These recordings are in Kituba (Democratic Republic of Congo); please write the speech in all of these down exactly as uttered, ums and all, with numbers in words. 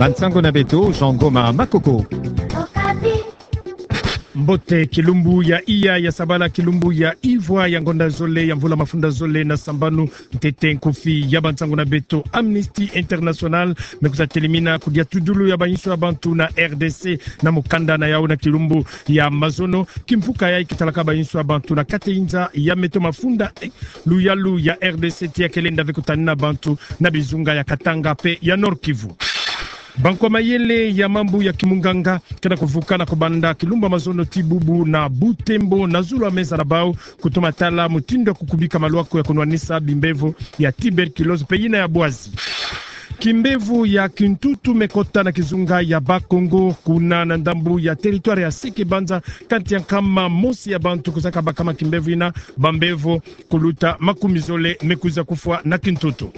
Bansango na beto, Jean Ngoma Makoko. Mbote, kilumbu ya iya ya sabala, kilumbu ya ivwa ya ngonda zole ya mvula mafunda zole na sambanu. Ntete nkufi ya bansango na beto. Amnesty International me kwiza telemina kudia tudulu ya bayinso ya bantu na R D C na mukanda na yau na kilumbu ya mazono. Kimvuka yayi kitalaka bayinso ya bantu na kateyinza ya meto mafunda, eh, luyalu ya R D C, ti ya ke lenda ve kutanina bantu na bizunga ya Katanga pe ya Nord-Kivu. Bankwa mayele ya mambu ya kimunganga ke na kuvuka na kubanda kilumbu ya mazono ti bubu na Butembo na zulu ya meza na bau, kutoma tala mutindu ya kukubika malwaku ya kunwanisa bimbevo ya tuberculose pe yina ya bwazi. Kimbevo ya kintutu me kota na kizunga ya Bas-Congo, kuna na ndambu ya territoire ya Seke-Banza, kati ya nkama mosi ya bantu kuzaka bakama kimbevo yina, bambevo kuluta makumi zole me kwiza kufwa na kintutu.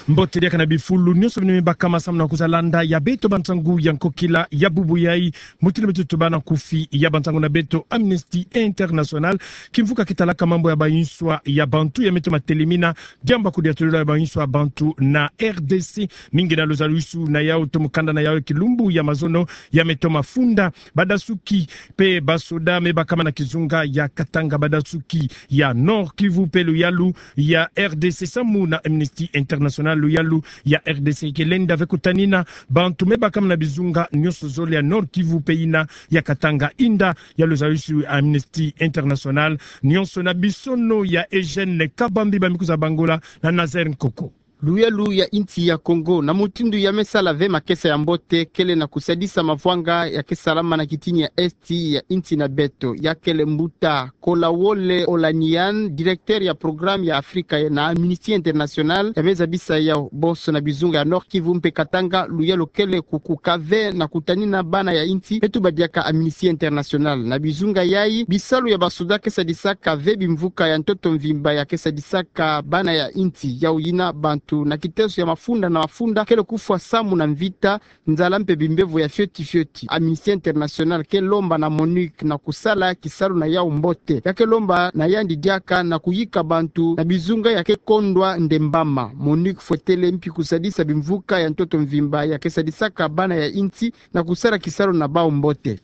Mbote, diaka na bifulu nyonso bina me bakama samu na kwiza landa ya beto bansango ya nkokila ya bubu yayi. Mutindu beto tubana nkufi ya bansango na beto. Amnesty International, kimvuka kitalaka mambu ya bayinswa ya bantu ya meto matelemina diambu ya kudia tulula ya bayinswa ya bantu na R D C, mingi na luzalusu na yau to mukanda na yau ya kilumbu ya mazono ya meto mafunda. Badasuki pe basoda me bakama na kizunga ya Katanga, badasuki ya Nord-Kivu pe luyalu ya R D C samu na Amnesty International, luyalu ya R D C ke lenda ve kutanina bantu me bakama na bizunga nyonso zole ya Nord-Kivu pe yina ya Katanga, inda ya luzalusu ya Amnesty International. Nyonso na bisono ya Eugène Kabambi, ba me kwiza bangola na Nazaire Nkoko. Luyalu ya insi ya Congo, na mutindu ya me sala ve makesa ya mbote, kele na kusadisa mavwanga ya ke salama na kitini ya Est ya insi na beto. Ya kele mbuta Kolawole Olaniyan, directeur ya programme ya Afrika na Amnesty International, ya me zabisa yau. Bonso na bizunga ya Nord-Kivu mpe Katanga, luyalu kele kukuka ve na kutanina bana ya insi me tuba diaka Amnesty International. Na bizunga yayi, bisalu ya basoda ke sadisaka ve bimvuka ya ntoto mvimba ya ke sadisaka bana ya insi, yau yina bantu na kiteso ya mafunda na mafunda kele kufwa samu na mvita, nzala mpe bimbevo ya fioti fioti. Amnesty International ke lomba na MONUC na kusala kisalu na yau mbote. Ya ke lomba na yandi diaka na kuyika bantu na bizunga ya ke kondwa ndembama. MONUC fwetele mpi kusadisa bimvuka ya ntoto mvimba ya ke sadisaka bana ya insi na kusala kisalu na bau mbote.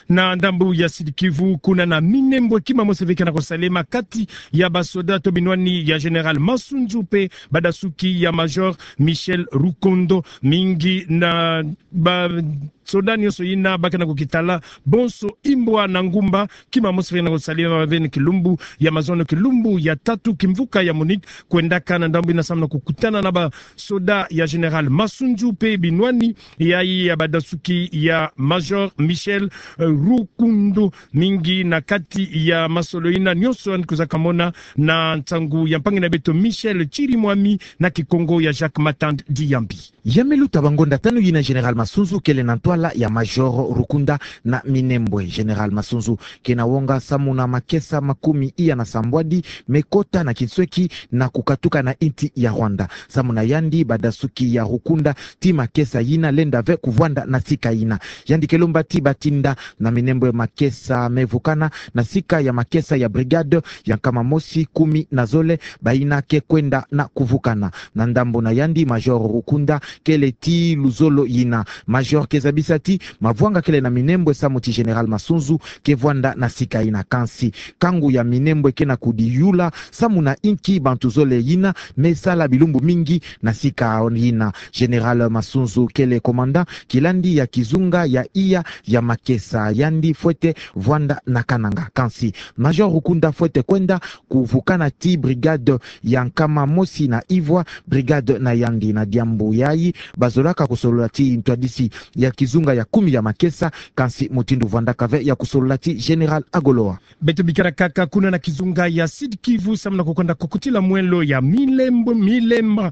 Na ndambu ya Sud-Kivu, kuna na Minembwe, kima mosi ve ke na kusalema kati ya basoda to binwani ya Général Masunzu mpe badasuki ya Major Michel Rukundo. Mingi na basoda nyonso yina ba ke na kukitala bonso imbwa na ngumba, kima mosi ve ke na kusalema ve na kilumbu ya mazono, kilumbu ya tatu, kimvuka ya MONUC kwendaka na ndambu yina samu na kukutana na basoda ya Général Masunzu mpe binwani yayi ya badasuki ya Major Michel, eh, Rukundo. Mingi na kati ya masolo yina nyonso yandi kwiza kamona na nsangu ya mpangi na beto Michel Chirimwami na Kikongo ya Jacques Matand Diyambi. Ya me luta bangonda tanu yina Général Masunzu kele na ntwala ya Major Rukundo na Minembwe. Général Masunzu ke na wonga samu na makesa makumi iya na sambwadi me kota na kinsweki na kukatuka na insi ya Rwanda. Samu na yandi, badasuki ya Rukundo ti makesa yina lenda ve kuvwanda na sika yina. Yandi ke lomba ti batinda na Minembwe makesa me vukana na sika ya makesa ya brigade ya nkama mosi kumi na zole, bayina ke kwenda na kuvukana. Na ndambu na yandi, Major Rukundo kele ti luzolo yina. Major ke zabisa ti mavwanga kele na Minembwe samu ti Général Masunzu ke vwanda na sika yina. Kansi kangu ya Minembwe ke na kudiyula samu na inki bantu zole yina me sala bilumbu mingi na sika yina. Général Masunzu kele commandant kilandi ya kizunga ya iya ya makesa, yandi fwete vwanda na Kananga. Kansi Major Rukundo fwete kwenda kuvukana ti brigade ya nkama mosi na ivwa, brigade na yandi. Na diambu yayi, bazolaka kusolola ti ntwadisi ya kizunga ya kumi ya makesa, kansi mutindu vwandaka ve ya kusolola ti Général Agoloa. Beto bikala kaka kuna na kizunga ya Sud-Kivu samu na kukwenda kukutila mwelo ya Milembo, Milemba,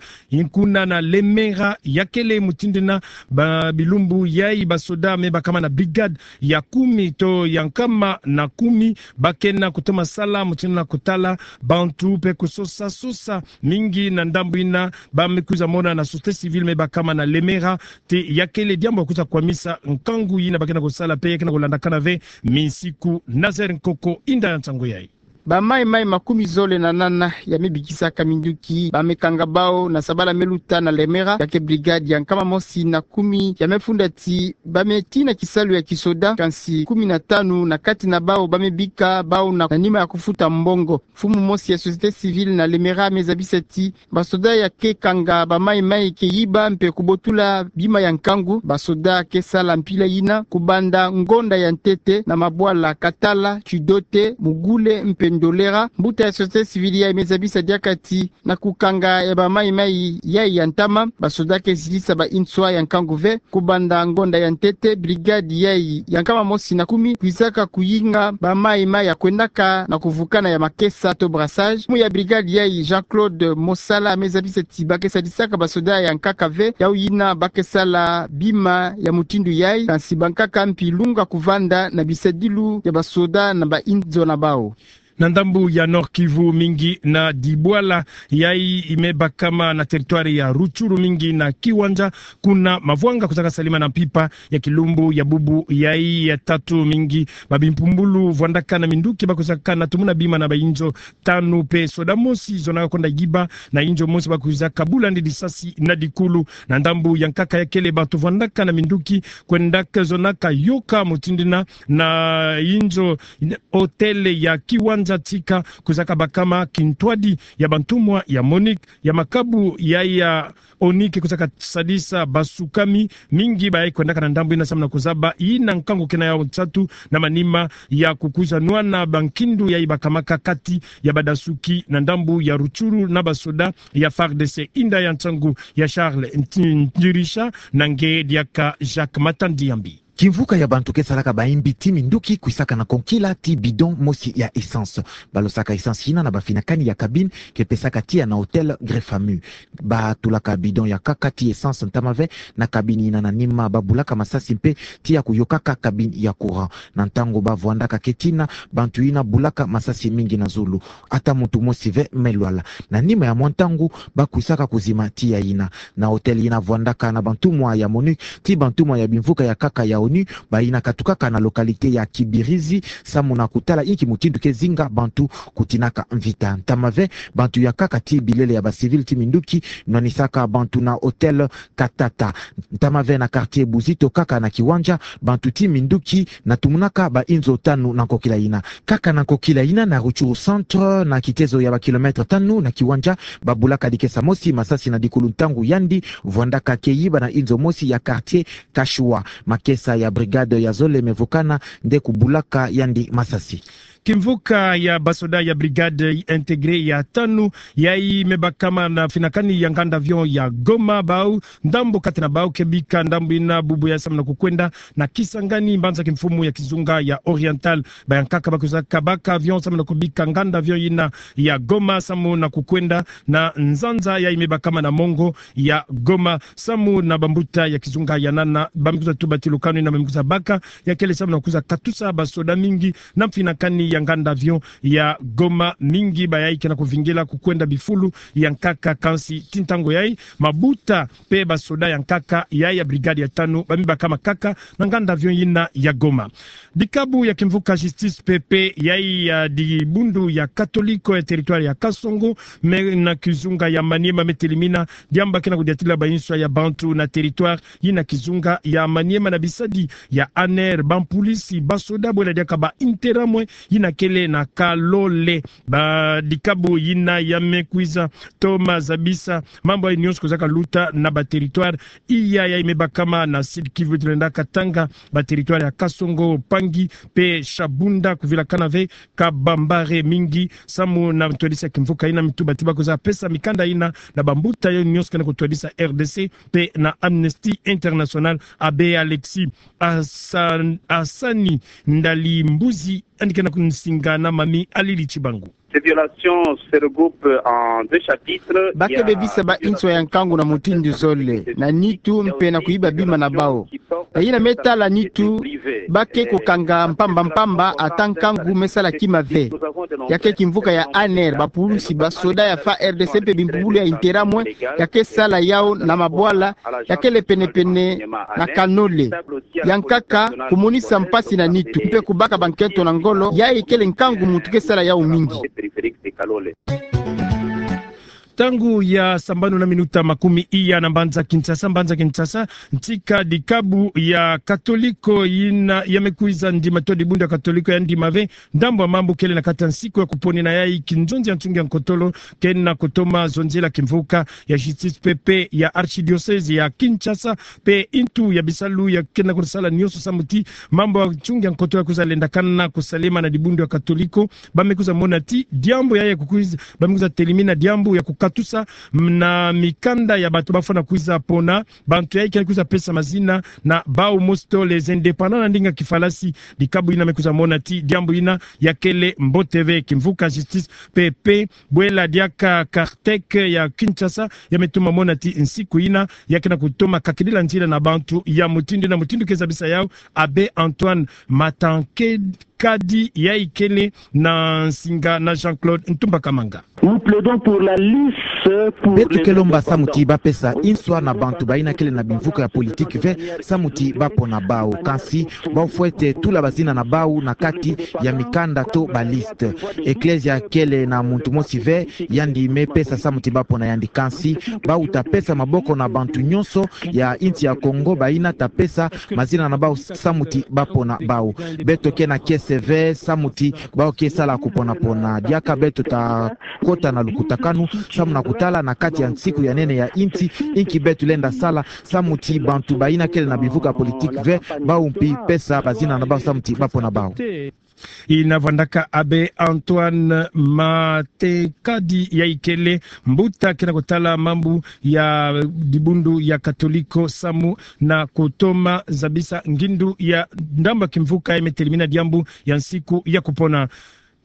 kuna na Lemera, ya kele mutindu yina ba bilumbu yayi basoda me bakama na brigade ya kumi to ya nkama na kumi ba ke na kutoma sala mutindu yina kutala bantu mpe kusosa sosa. Mingi na ndambu yina ba me kwiza mona na société civile me bakama na Lemera ti ya kele diambu ya kwiza kwamisa nkangu yina ba ke na kusala mpe ya ke na kulandakana ve minsiku. Nazaire Nkoko, inda ya nsangu yayi. Bamaimai makumi zole na nana ya mebikisaka minduki bamekanga bawu na sabala meluta na Lemera, ya ke brigade ya nkama mosi na kumi ya mefundati bameti na kisalu ya kisoda, kansi kumi na tanu na kati na bawu bamebika bawu na, na nima ya kufuta mbongo. Mfumu mosi ya société civile na Lemera amezabisa ti basoda ya ke kanga bamaimai ke yiba mpe kubotula bima ya nkangu. Basoda ke sala mpila yina kubanda ngonda ya ntete na mabwala Katala, Chidote, Mugule mpe Ndolera. Mbuta ya société civile yayi amezabisa diaka ti na kukanga ya bamaimai yayi ya ntama, basoda ke zitisa ba inswa ya nkangu ve. Kubanda ngonda ya ntete, brigade yayi ya nkama mosi na kumi kwizaka kuyinga bamaimai ya kwendaka na kuvukana ya makesa to brassage. Mfumu ya brigade yayi, Jean-Claude Mosala, amezabisa ti ba ke sadisaka basoda ya nkaka ve, yawu yina ba ke sala bima ya mutindu yayi, kansi bankaka mpi lunga kuvanda na bisadilu ya basoda na ba inzo na bawu. Na ndambu ya Nord-Kivu, mingi na dibwala yayi imebakama na territoire ya Rutshuru, mingi na Kiwanja, kuna mavwanga kwizaka salama na mpimpa ya kilumbu ya bubu yayi ya tatu. Mingi ba bimpumbulu vwandaka na minduki bakwizaka na tumuna bima na ba inzo tanu, mpe soda mosi zonaka kwenda yiba na inzo mosi bakwizaka bula yandi lisasi na dikulu. Na ndambu ya nkaka ya kele, bantu vwandaka na minduki kwendaka zonaka yoka mutindu yina na inzo hôtel ya Kiwanja Tsika kwizaka bakama kintwadi ya bantumwa ya MONUC. Ya makabu yayi ya ONU ke kwizaka sadisa basukami mingi bayayi kwendaka na ndambu yina samu na kuzaba yina nkangu kena yawu nsatu na manima ya kukwiza nwana bankindu yayi bakamaka kati ya badasuki na ndambu ya Rutshuru na basoda ya FARDC. Inda ya nsangu ya Charles Nti-, Ntirisha, na nge diaka Jacques Matandi Yambi. Kimvuka ya bantu ke salaka bayimbi ti minduki kwisaka na konkila ti bidon mosi ya essence. Balosaka essence yina na bafinakani ya cabine ke pesaka tiya na hôtel Greffamu. Batulaka bidon ya nkaka ti essence ntama ve na cabine yina, na nima babulaka masasi mpe tiya kuyokaka cabine ya courant. Na ntangu bavwandaka keti yina, bantu yina bulaka masasi mingi na zulu. Ata muntu mosi ve me lwala. Na nima ya mwa ntangu, bakwisaka kuzima tiya yina. Na hôtel yina vwandaka na bantumwa ya MONUC, ti bantumwa ya bimvuka ya nkaka ya ONU, bayina katukaka na localité ya Kibirizi, samu na kutala inki mutindu ke zinga bantu kutinaka mvita. Ntama ve, bantu ya nkaka ti bilele ya ba civil ti minduki nwanisaka bantu na hôtel Katata. Ntama ve na quartier Buzito, nkaka na Kiwanja, bantu ti minduki na tumunaka ba inzo tanu na nkokila yina. Nkaka na nkokila yina na Rutshuru centre, na kitezo ya ba kilomètre tanu na Kiwanja, babulaka dikesa mosi masasi na dikulu ntangu yandi vwandaka ke yiba na inzo mosi ya quartier Kashua. Makesa ya brigade ya zole mevukana nde kubulaka yandi masasi. Kimvuka ya basoda ya brigade intégrée ya tanu, yayi mebakama na finakani ya nganda avion ya Goma, bau ndambu kati na bau ke bika ndambu yina bubu yayi samu na kukwenda na Kisangani, mbanza kimfumu ya kizunga ya Oriental. Ba ya nkaka bakwizaka baka avion samu na kubika nganda avion yina ya Goma samu na kukwenda na nzanza yayi mebakama na mongo ya Goma, samu na bambuta ya kizunga ya nana. Ba me kwiza tuba ti lukanu yina ba me kwiza baka ya kele samu na kwiza katusa basoda mingi na mfinakani ya nganda avion ya Goma. Mingi bayayi ke na kuvingila kukwenda bifulu ya nkaka, kansi ti ntangu yayi mabuta mpe basoda ya nkaka yayi ya brigade ya tanu ba mibakama kaka na nganda avion yina ya Goma. Dikabu ya kimvuka Justice P P yayi ya dibundu ya Katoliko ya territoire ya Kasongo, me na kizunga ya Maniema, metelimina diambu ke na kudiatila ba inswa ya bantu na territoire yina kizunga ya Maniema na bisadi ya ANR, bampulisi, basoda bwela diaka ba Interahamwe yina kele na Kalole. Ba dikabu yina ya me kwiza toma zabisa mambu yayi nyonso kwizaka luta na ba territoire iya yayi mebakama na Sud-Kivu, tulenda Katanga, ba territoire ya Kasongo, Pangi mpe Shabunda, kuvilakana ve ka Bambari. Mingi samu na ntwadisi ya kimvuka yina me tuba ti bakwiza pesa mikanda yina na bambuta yayi nyonso ke na kutwadisa R D C mpe na Amnesty International. Abbé Alexis Asa-, Asani Ndali Mbuzi yandi ke na kunsinga na Mami Alili Chibangu. Ces violations se regroupent en deux chapitres. Ba ke bebisa ba inswa ya nkangu na mutindu zole, na nitu mpe na kuyiba bima na bau. Na yina me tala nitu, ba ke kukanga mpamba mpamba ata nkangu me sala kima ve. Ya ke kimvuka ya ANR, ba pulusi, ba soda ya FARDC mpe bimpubulu ya Interahamwe, ya ke sala yau na mabwala ya kele penepene na Kanole. Yankaka kumonisa mpasi na nitu, mpe kubaka ba nkento na ngolo, yayi kele nkangu muntu ke sala yau mingi. Ntangu ya sambanu na minuta makumi iya na mbanza Kinshasa, mbanza Kinshasa, ntika dikabu ya Katoliko yina ya me kwiza ndima to dibundu ya Katoliko ya ndima ve ndambu ya mambu kele na kati ya nsiku ya kuponina yayi kinzonzi ya nsungi ya nkotolo, kena kutoma zonzela kimvuka ya justice PP ya archidiocèse ya Kinshasa, mpe intu ya bisalu ya kena kusala nyonso samu ti mambu ya nsungi ya nkotolo ya kwiza lendakana kusalema na dibundu ya Katoliko. Ba me kwiza mona ti diambu yayi ya kukwiza, ba me kwiza telimina diambu ya kukatusa na mikanda ya bantu bafwana kwiza pona, bantu yayi kena kwiza pesa mazina na bau mosi to les indépendants na ndinga kifalasi. Dikabu yina me kwiza mona ti diambu yina ya kele mbote ve. Kimvuka justice PP, bwela diaka Kartek ya Kinshasa, ya me toma mona ti nsiku yina ya kena kutoma kakidila nzila na bantu ya mutindu na mutindu ke zabisa yau Abbé Antoine Matankedi, yayi kele na nsinga na Jean-Claude Ntumba Kamanga. Nous plaidons pour la lisse, pour les indépendants. Beto ke lomba samu ti ba pesa inswa na bantu bayina kele na bimvuka ya politique ve, samu ti ba pona bau. Kansi bau fwete tula bazina na bau na kati ya mikanda to ba liste. Eklezia kele na muntu mosi ve yandi me pesa samu ti ba pona yandi. Kansi bau ta pesa maboko na bantu nyonso ya insi ya Kongo bayina ta pesa mazina na bau samu ti ba pona bau. Beto ke na kiese ve samu ti bau ke sala kuponapona. Diaka beto ta kota na lukutakanu samu na kutala na kati ya nsiku ya nene ya insi, inki beto lenda sala samu ti bantu bayina kele na bimvuka politique ve, bau mpi pesa bazina na bau samu ti ba pona bau. Yina vwandaka Abbé Antoine Matankedi, yayi kele mbuta kena kutala mambu ya dibundu ya Katoliko samu na kutoma zabisa ngindu ya ndambu ya kimvuka ya me telimina diambu ya nsiku ya kupona.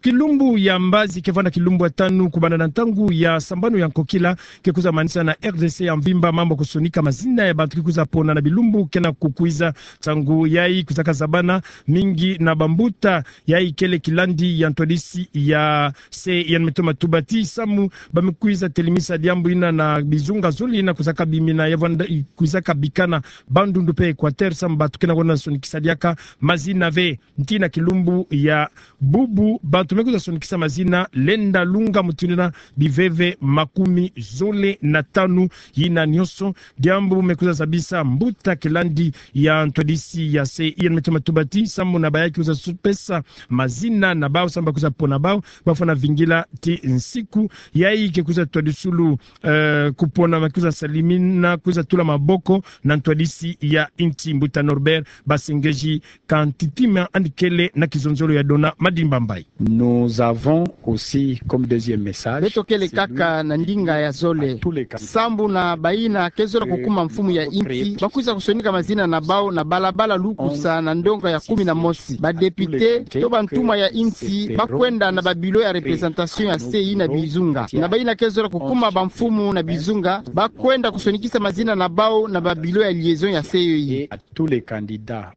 Kilumbu ya mbazi ke vwanda kilumbu ya tanu kubanda na ntangu ya sambanu ya nkokila, ke kwiza manisa na RDC ya mvimba mambu ya kusonika mazina ya bantu ke kwiza pona na bilumbu kena kukwiza. Ntangu yayi kwizaka zabana mingi na bambuta yayi kele kilandi ya ntwadisi ya se ya me toma tuba ti samu ba me kwiza telimisa diambu yina na bizunga zole yina kwizaka bimina ya vwanda, kwizaka bikana Bandundu mpe Equateur, samu bantu kena kwenda sonikisa diaka mazina ve. Nti na kilumbu ya bubu bantu me kwiza sonikisa mazina lenda lunga mutindu na biveve makumi zole na tanu. Yina nyonso diambu me kwiza zabisa mbuta kilandi ya ntwadisi ya se ya me toma tuba ti samu na bayayi ke kwiza su-, pesa mazina na bau samu ba kwiza pona bau, ba fwana vingila ti nsiku yayi ke kwiza twadisulu, eh, kupona ma kwiza salimina, kwiza tula maboko na ntwadisi ya insi. Mbuta Norbert Basengeji Kantitima yandi kele na kizonzolo ya Dona Madimba Mbayi. Nous avons aussi comme deuxième message, beto kele kaka na ndinga ya zole, sambu na bayina ke zola kukuma mfumu ya insi, ba kwiza kusonika mazina na bau na balabala lukusa na ndonga ya kumi na mosi. Ba député to bantuma ya insi ba kwenda na ba bureau ya représentation ya se yina bizunga. Na bayina ke zola kukuma bamfumu na bizunga, ba kwenda kusonikisa mazina na bau na ba bureau ya liaison ya se yoyi. Et à tous les candidats.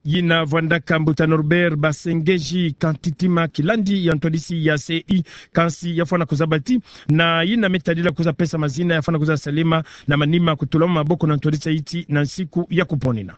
Yina vwandaka mbuta Norbert Basengeji Kantitima, kilandi ya ntwadisi ya C I, kansi ya fwana kuzaba ti na yina me tadila kuza pesa mazina ya fwana kuza salema na manima kutulama maboko na ntwadisi ya insi na nsiku ya kuponina.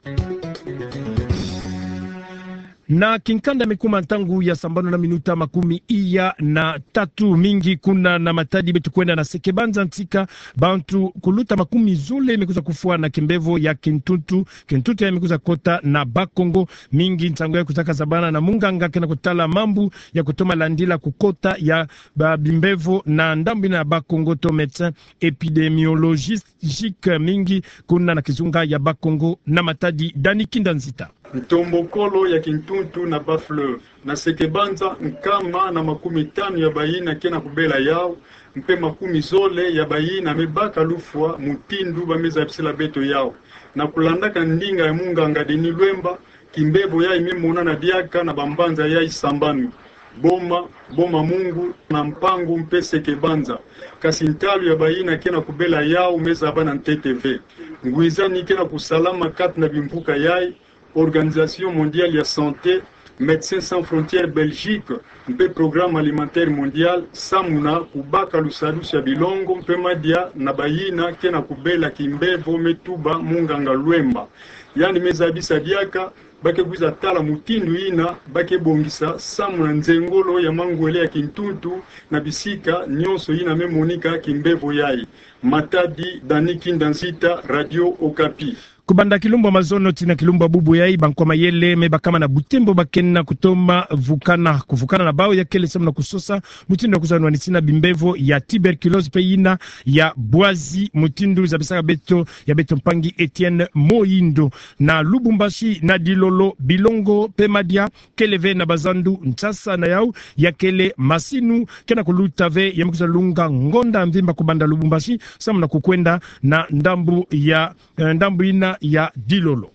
Na kinkanda me kuma ntangu ya sambanu na minuta makumi iya na tatu mingi kuna na Matadi, beto kwenda na Sekebanza, ntika bantu kuluta makumi zole me kuza kufwa na kimbevo ya kintuntu. Kintuntu ya me kuza kota na Bas-Congo. Mingi ntangu ya kuzaka zabana na munganga kena kutala mambu ya kutoma landila kukota ya ba bimbevo na ndambu yina ya Bas-Congo to médecin épidémiologiste mingi kuna na kizunga ya Bas-Congo na Matadi. Dani Kinda Nzita. Ntombokolo ya kintuntu na Bas-Fleuve. Na Sekebanza, nkama na makumi tanu ya bayina kena kubela yau, mpe makumi zole ya bayina me baka lufwa mutindu ba me zabisila beto yau. Na kulandaka ndinga ya munganga Denis Lwemba, kimbevo yayi me monana diaka na bambanza yayi sambanu. Boma, Boma Mungu, na Mpangu mpe Seke Banza. Kasi ntalu ya bayina ke na kubela yawu me zaba na ntete ve. Ngwiza ni ke na kusalama kati na bimvuka yayi, Organisation Mondiale ya Santé, Médecins Sans Frontières Belgique, mpe Programme Alimentaire Mondial, samu na kubaka lusadusu ya bilongo mpe madia na bayina ke na kubela kimbevo me tuba mu nganga lwemba. Yandi me zabisa diaka ba ke kwiza tala mutindu yina ba ke bongisa samu na nzengolo ya mangwele ya kintuntu na bisika nyonso yina me monika kimbevo yayi. Matadi, Dani Kinda Nzita, Radio Okapi. Kubanda kilumbu ya mazono tii na kilumbu ya bubu yayi, bankwa mayele me bakama na butembo ba ke na kutoma vukana, kuvukana na bawu ya kele samu na kusosa mutindu ya kwiza nwanisina bimbevo ya tuberculose mpe yina ya bwazi, mutindu zabisaka beto ya beto mpangi Etienne Moyindo. Na Lubumbashi, na Dilolo, bilongo mpe madia kele ve na bazandu. Nsasa na yawu ya kele masinu ke na kuluta ve, ya me kwiza lunga ngonda mvimba kubanda Lubumbashi samu na kukwenda na ndambu ya, eh, ndambu yina ya Dilolo.